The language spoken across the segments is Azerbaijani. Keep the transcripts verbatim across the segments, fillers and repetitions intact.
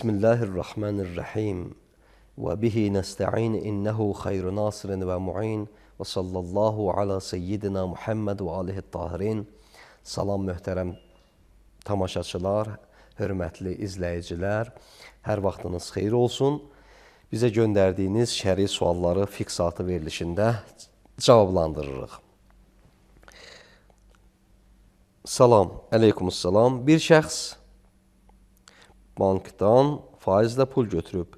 Bismillahirrahmanirrahim. Ve bihi nesta'in innehu hayru nasirin ve mu'in ve sallallahu ala seyyidina Muhammed ve alihi tahirin. Salam möhtərəm tamaşaçılar, hörmətli izləyicilər, hər vaxtınız xeyir olsun. Bizə göndərdiyiniz şəri sualları fiqh saatı verilişində cavablandırırıq. Salam, əleykumussalam. Bir şəxs bankdan faizlə pul götürüb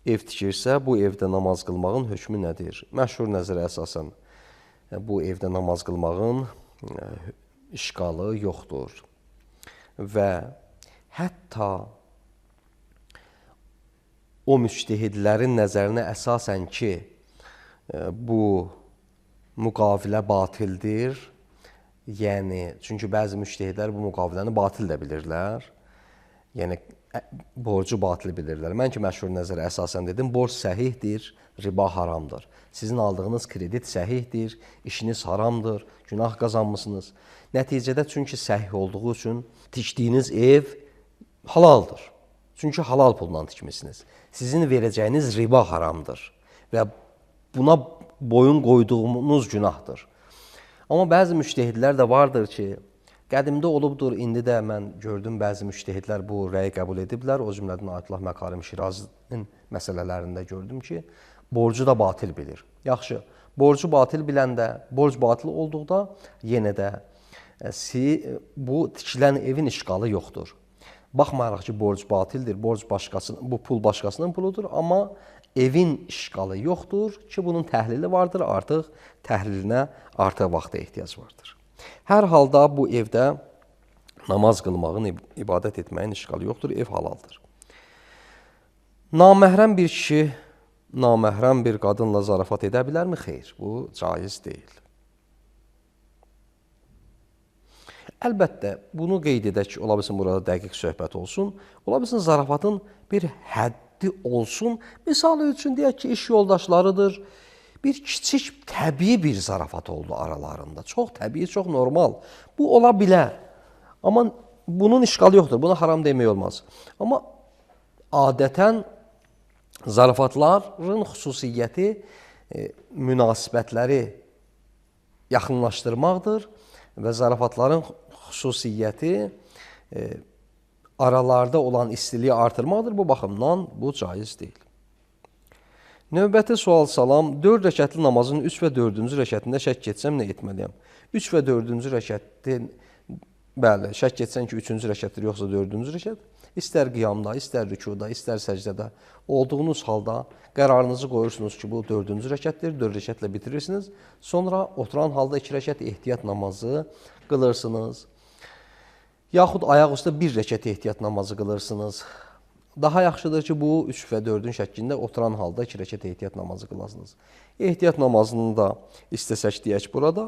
ev tikirsə, bu evdə namaz qılmağın hökmü nədir? Məşhur nəzərə əsasən bu evdə namaz qılmağın işqalı yoxdur. Və hətta o müctehidlərin nəzərinə əsasən ki, bu müqavilə batildir, yəni, çünki bəzi müctehidlər bu müqaviləni batil də bilirlər, yəni borcu batil bilirlər. Mən ki, məşhur nəzərə əsasən dedim, borc səhihdir, riba haramdır. Sizin aldığınız kredit səhihdir, işiniz haramdır, günah qazanmışsınız. Nəticədə çünki səhih olduğu üçün tikdiyiniz ev halaldır. Çünki halal pulla tikmişsiniz. Sizin verəcəyiniz riba haramdır və buna boyun qoyduğunuz günahdır. Amma bəzi müctehidlər də vardır ki, qədimdə olubdur, indi də mən gördüm, bəzi müctehidlər bu rəyi qəbul ediblər. O cümlədən Ayətullah Məkarim Şirazinin məsələlərində gördüm ki, borcu da batil bilir. Yaxşı, borcu batil biləndə, borc batil olduqda yenə də bu tikilən evin işqalı yoxdur. Baxmayaraq ki, borc batildir, borc başqasının, bu pul başqasının puludur, amma evin işqalı yoxdur ki, bunun təhlili vardır, artıq təhlilinə artıq vaxta ehtiyac vardır. Hər halda bu evdə namaz qılmağın, ibadət etməyin işqalı yoxdur, ev halaldır. Naməhrəm bir kişi, naməhrəm bir qadınla zarafat edə bilərmi? Xeyr, bu caiz deyil. Əlbəttə, bunu qeyd edək ki, ola bilsin burada dəqiq söhbət olsun, ola bilsin zarafatın bir həddi olsun. Misal üçün deyək ki, iş yoldaşlarıdır, bir kiçik təbii bir zarafat oldu aralarında. Çox təbii, çox normal. Bu ola bilər. Amma bunun işqalı yoxdur. Buna haram demək olmaz. Amma adətən zarafatların xüsusiyyəti e, münasibətləri yaxınlaşdırmaqdır və zarafatların xüsusiyyəti e, aralarda olan istiliyi artırmaqdır. Bu baxımdan bu caiz deyil. Növbəti sual salam, dörd rəkətli namazın üç və dördüncü rəkətində şək etsəm nə etməliyəm? üç və dördüncü rəkətdə, bəli, şək etsən ki, üçüncü rəkətdir, yoxsa dördüncü rəkət, istər qiyamda, istər rükuda, istər səcdədə olduğunuz halda qərarınızı qoyursunuz ki, bu dördüncü rəkətdir, dörd rəkətlə bitirirsiniz, sonra oturan halda iki rəkət ehtiyat namazı qılırsınız, yaxud ayaq üstə bir rəkət ehtiyat namazı qılırsınız. Daha yaxşıdır ki, bu üç və dördün şəklində oturan halda iki rəkət ehtiyat namazı qılasınız. Ehtiyat namazını da istəsək deyək burada,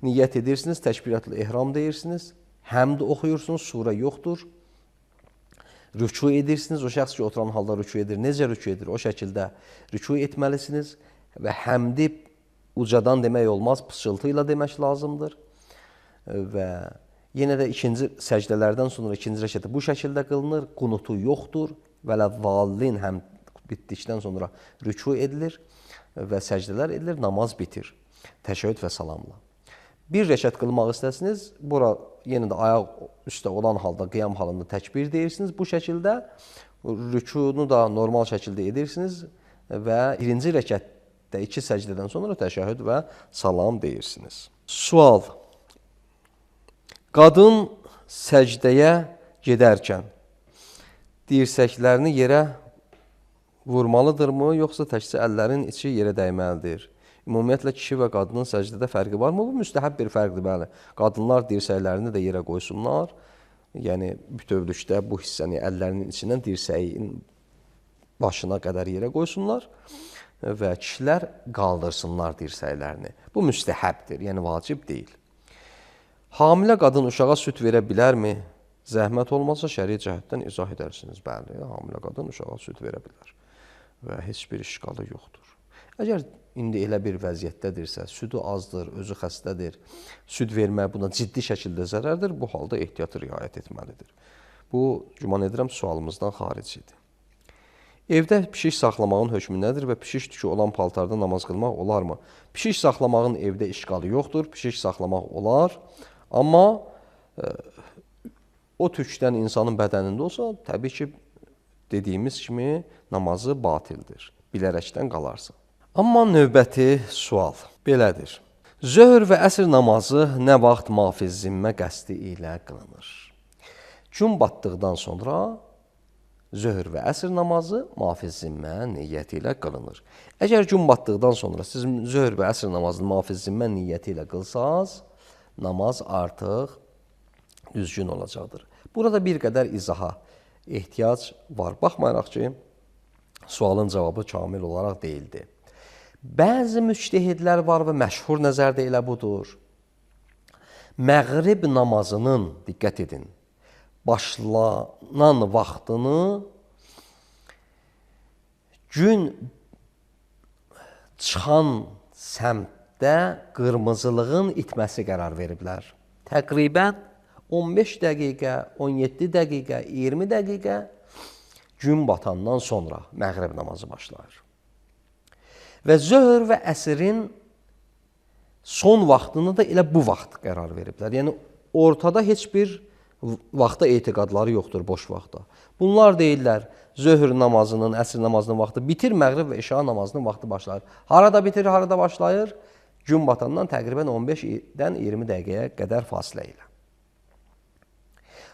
niyyət edirsiniz, təkbiratul ehram deyirsiniz, həmd oxuyursunuz, surə yoxdur, rüku edirsiniz, o şəxs ki, oturan halda rüku edir, necə rüku edir, o şəkildə rüku etməlisiniz və həmdi ucadan demək olmaz, pıçıltı ilə demək lazımdır və yenə də ikinci səcdələrdən sonra ikinci rəkəti bu şəkildə qılınır, qunutu yoxdur və ləzzallin həm bitdikdən sonra rüku edilir və səcdələr edilir, namaz bitir, təşəhhüd və salamla. Bir rəkət qılmaq istəsiniz, bura yenə də ayaq üstə olan halda, qiyam halında təkbir deyirsiniz, bu şəkildə rükunu da normal şəkildə edirsiniz və birinci rəkətdə iki səcdədən sonra təşəhhüd və salam deyirsiniz. Sual. Qadın səcdəyə gedərkən dirsəklərini yerə vurmalıdırmı, yoxsa təkcə əllərin içi yerə dəyməlidir? Ümumiyyətlə, kişi və qadının səcdədə fərqi varmı? Bu müstəhəb bir fərqdir, bəli. Qadınlar dirsəklərini də yerə qoysunlar yəni bütövlükdə bu hissəni əllərinin içindən dirsəyin başına qədər yerə qoysunlar və kişilər qaldırsınlar dirsəklərini. Bu müstəhəbdir, yəni vacib deyil. Hamilə qadın uşağa süd verə bilərmi? Zəhmət olmasa şəri cəhətdən izah edərsiniz. Bəli, hamilə qadın uşağa süd verə bilər və heç bir işqalı yoxdur. Əgər indi elə bir vəziyyətdədirsə, südü azdır, özü xəstədir, süd vermək buna ciddi şəkildə zərərdir, bu halda ehtiyatı riayət etməlidir. Bu, güman edirəm, sualımızdan xaricidir. Evdə pişik saxlamağın hökmü nədir və pişik tükü olan paltarda namaz qılmaq olarmı? Pişik saxlamağın evdə işqalı yoxdur, pişik saxlamaq olar, amma e, o tükdən insanın bədənində olsa, təbii ki, dediyimiz kimi namazı batildir, bilərəkdən qalarsa. Amma növbəti sual belədir. Zöhr və əsr namazı nə vaxt mafiz zimmə qəsdi ilə qılınır? Gün batdıqdan sonra zöhr və əsr namazı mafiz zimmə niyyəti ilə qılınır. Əgər gün batdıqdan sonra siz zöhr və əsr namazını mafiz zimmə niyyəti ilə qılsanız, namaz artıq düzgün olacaqdır. Burada bir qədər izaha ehtiyac var. Baxmayaraq ki, sualın cavabı kamil olaraq deyildi. Bəzi müctəhidlər var və məşhur nəzərdə elə budur. Məğrib namazının, diqqət edin, başlanan vaxtını gün çıxan səmtdə qırmızılığın itməsi qərar veriblər. Təqribən on beş dəqiqə, on yeddi dəqiqə, iyirmi dəqiqə gün batandan sonra məğrib namazı başlayır. Və zöhr və əsrin son vaxtını da elə bu vaxt qərar veriblər. Yəni, ortada heç bir vaxta etiqadları yoxdur, boş vaxta. Bunlar deyirlər, zöhr namazının, əsr namazının vaxtı bitir, məğrib və işa namazının vaxtı başlayır. Harada bitir, harada başlayır? Gün batandan təqribən on beşdən iyirmi dəqiqəyə qədər fasilə ilə.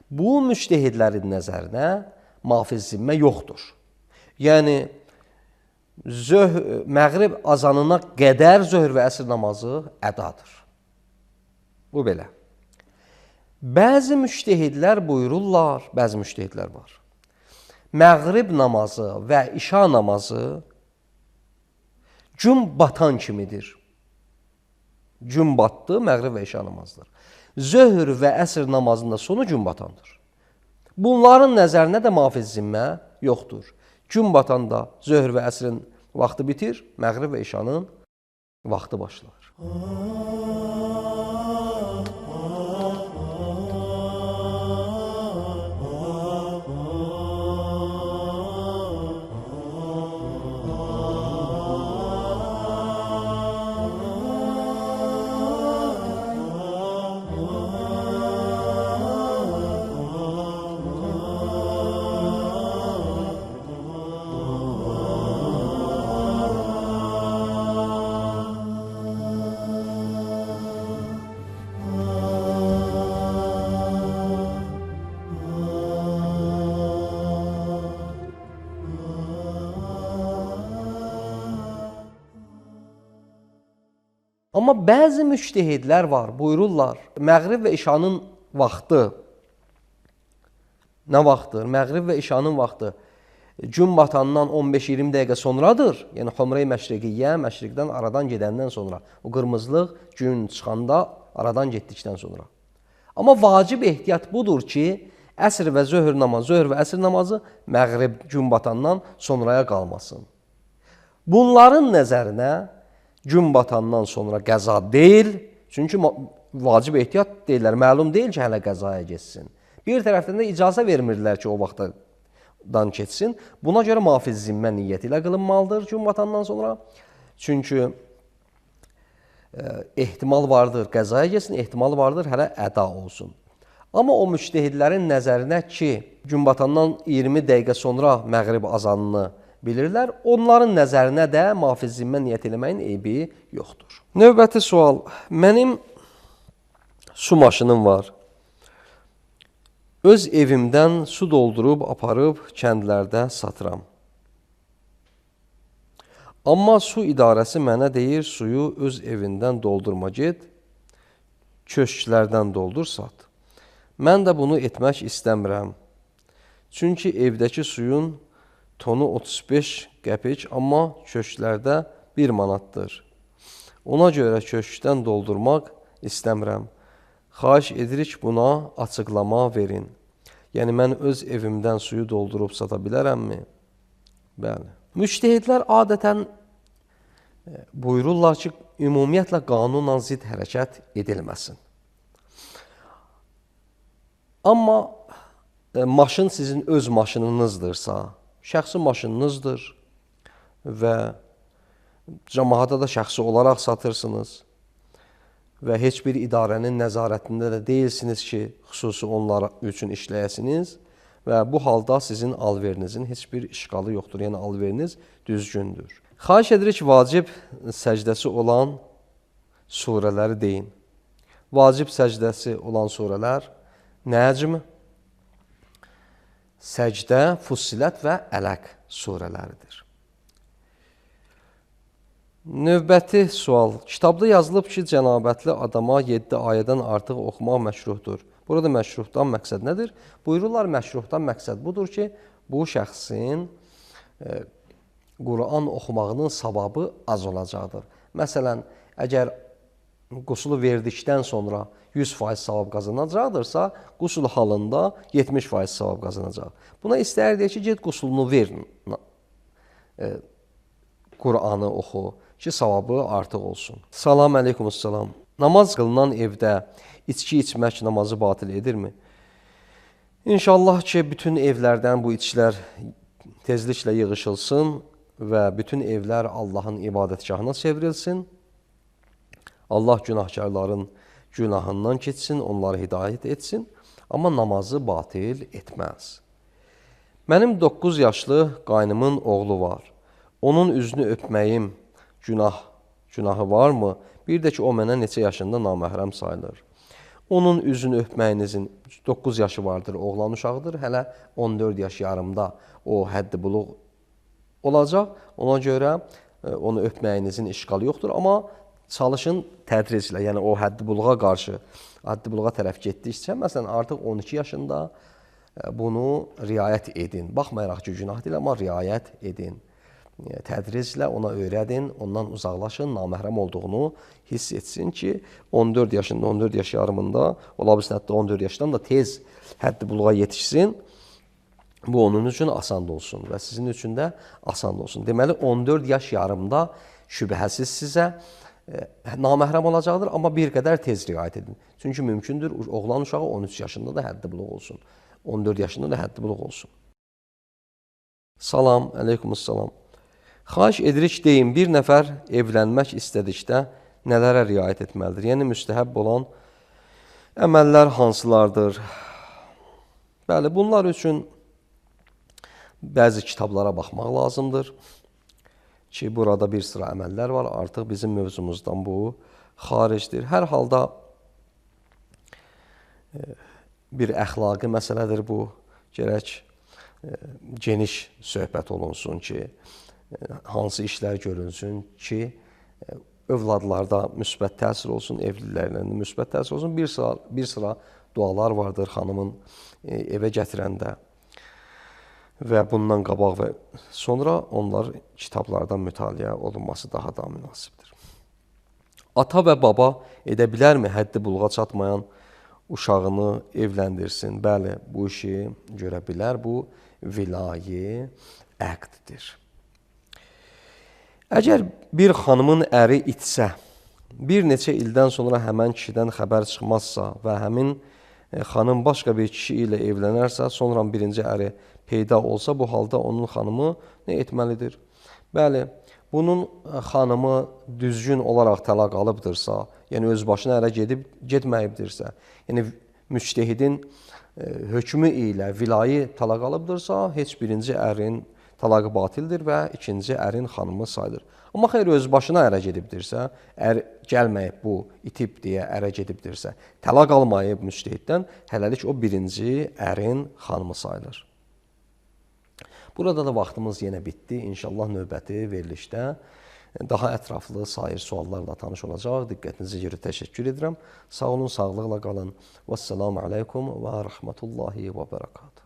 Bu müctəhidlərin nəzərinə mafiz zimmə yoxdur. Yəni, zöhr, məğrib azanına qədər zöhr və əsr namazı ədadır. Bu belə. Bəzi müctəhidlər buyururlar, bəzi müctəhidlər var. Məğrib namazı və işa namazı gün batan kimidir. Gün batdı, məğrib və işa namazıdır. Zöhr və əsr namazında sonu gün batandır. Bunların nəzərinə də mafiz zimmə yoxdur. Gün batanda zöhr və əsrin vaxtı bitir, məğrib və işanın vaxtı başlar. Amma bəzi müctəhidlər var, buyururlar, məğrib və işanın vaxtı nə vaxtdır? Məğrib və işanın vaxtı gün batandan on beş iyirmi dəqiqə sonradır. Yəni, Humre-i Məşriqiyyə, məşriqdən aradan gedəndən sonra. O qırmızılıq gün çıxanda aradan getdikdən sonra. Amma vacib ehtiyat budur ki, əsr və zöhr namazı, zöhr və əsr namazı məğrib gün batandan sonraya qalmasın. Bunların nəzərinə gün batandan sonra qəza deyil, çünki vacib ehtiyat deyirlər, məlum deyil ki, hələ qəzaya geçsin. Bir tərəfdən də icazə vermirlər ki, o vaxtdan keçsin. Buna görə mafiz zimmə niyyəti ilə qılınmalıdır gün batandan sonra. Çünki e, ehtimal vardır, qəzaya geçsin, ehtimal vardır, hələ əda olsun. Amma o müctəhidlərin nəzərinə ki, gün batandan iyirmi dəqiqə sonra məğrib azanını bilirlər, onların nəzərinə də mafiz zimmə niyyət eləməyin eybi yoxdur. Növbəti sual. Mənim su maşınım var. Öz evimdən su doldurub, aparıb kəndlərdə satıram. Amma su idarəsi mənə deyir, suyu öz evindən doldurma get, köşklərdən doldur, sat. Mən də bunu etmək istəmirəm. Çünki evdəki suyun tonu otuz beş qəpik, amma köşklərdə bir manatdır. Ona görə köşkdən doldurmaq istəmirəm. Xahiş edirik buna açıqlama verin. Yəni, mən öz evimdən suyu doldurub sata bilərəmmi? Bəli. Müctehidlər adətən buyururlar ki, ümumiyyətlə qanunla zid hərəkət edilməsin. Amma maşın sizin öz maşınınızdırsa, şəxsi maşınınızdır və cəmaata da şəxsi olaraq satırsınız və heç bir idarənin nəzarətində də deyilsiniz ki, xüsusi onlar üçün işləyəsiniz və bu halda sizin alverinizin heç bir işğalı yoxdur, yəni alveriniz düzgündür. Xahiş edirik vacib səcdəsi olan surələri deyin. Vacib səcdəsi olan surələr Nəcm, Səcdə, Fussilət və Ələq surələridir. Növbəti sual. Kitabda yazılıb ki, cənabətli adama yeddi ayədən artıq oxumaq məşruhdur. Burada məşruhdan məqsəd nədir? Buyururlar, məşruhdan məqsəd budur ki, bu şəxsin e, Quran oxumağının savabı az olacaqdır. Məsələn, əgər qusulu verdikdən sonra yüz faiz savab qazanacaqdırsa, qusul halında yetmiş faiz savab qazanacaq. Buna istəyir ki, get qusulunu ver, e, Quranı oxu ki, savabı artıq olsun. Salam əleykumussalam. Namaz qılınan evdə içki içmək namazı batil edirmi? İnşallah ki, bütün evlərdən bu içkilər tezliklə yığışılsın və bütün evlər Allahın ibadətgahına çevrilsin. Allah günahkarların günahından keçsin, onları hidayət etsin, amma namazı batil etməz. Mənim doqquz yaşlı qaynımın oğlu var. Onun üzünü öpməyim günah, günahı varmı? Bir də ki, o mənə neçə yaşında naməhrəm sayılır. Onun üzünü öpməyinizin doqquz yaşı vardır, oğlan uşağıdır. Hələ on dörd yaş yarımda o həddi buluq olacaq. Ona görə onu öpməyinizin işğalı yoxdur. Amma çalışın tədriclə, yəni o həddi buluğa qarşı, həddi buluğa tərəf getdikcə, məsələn, artıq on iki yaşında bunu riayət edin. Baxmayaraq ki, günah deyil, amma riayət edin. Tədriclə ona öyrədin, ondan uzaqlaşın, naməhrəm olduğunu hiss etsin ki, on dörd yaşında, on dörd yaş yarımında, ola bilsin hətta on dörd yaşdan da tez həddi buluğa yetişsin. Bu onun üçün asan olsun və sizin üçün də asan olsun. Deməli, on dörd yaş yarımda şübhəsiz sizə e, naməhrəm olacaqdır, amma bir qədər tez riayət edin. Çünki mümkündür, oğlan uşağı on üç yaşında da həddi buluq olsun, on dörd yaşında da həddi buluq olsun. Salam, əleykumussalam. Xahiş edirik deyin, bir nəfər evlənmək istədikdə nələrə riayət etməlidir? Yəni, müstəhəb olan əməllər hansılardır? Bəli, bunlar üçün bəzi kitablara baxmaq lazımdır ki, burada bir sıra əməllər var, artıq bizim mövzumuzdan bu xaricdir. Hər halda bir əxlaqi məsələdir bu, gərək geniş söhbət olunsun ki, hansı işlər görünsün ki, övladlarda müsbət təsir olsun, evlilərlə müsbət təsir olsun. Bir sıra, bir sıra dualar vardır xanımın evə gətirəndə və bundan qabaq və sonra onlar kitablardan mütaliə olunması daha da münasibdir. Ata və baba edə bilərmi həddi buluğa çatmayan uşağını evləndirsin? Bəli, bu işi görə bilər. Bu vilayi əqddir. Əgər bir xanımın əri itsə, bir neçə ildən sonra həmən kişidən xəbər çıxmazsa və həmin xanım başqa bir kişi ilə evlənərsə, sonra birinci əri peyda olsa, bu halda onun xanımı nə etməlidir? Bəli, bunun xanımı düzgün olaraq təlaq alıbdırsa, yəni öz başına ərə gedib getməyibdirsə, yəni müctehidin hökmü ilə vilayı təlaq alıbdırsa, heç birinci ərin talaqı batildir və ikinci ərin xanımı sayılır. Amma xeyr, öz başına ərə gedibdirsə, ər gəlməyib bu, itib deyə ərə gedibdirsə, təlaq almayıb müctehiddən, hələlik o birinci ərin xanımı sayılır. Burada da vaxtımız yenə bitdi. İnşallah növbəti verilişdə daha ətraflı sair suallarla tanış olacaq. Diqqətinizə görə təşəkkür edirəm. Sağ olun, sağlıqla qalın. Vəssalamu aleykum və rəhmətullahi və bərəkatuhu.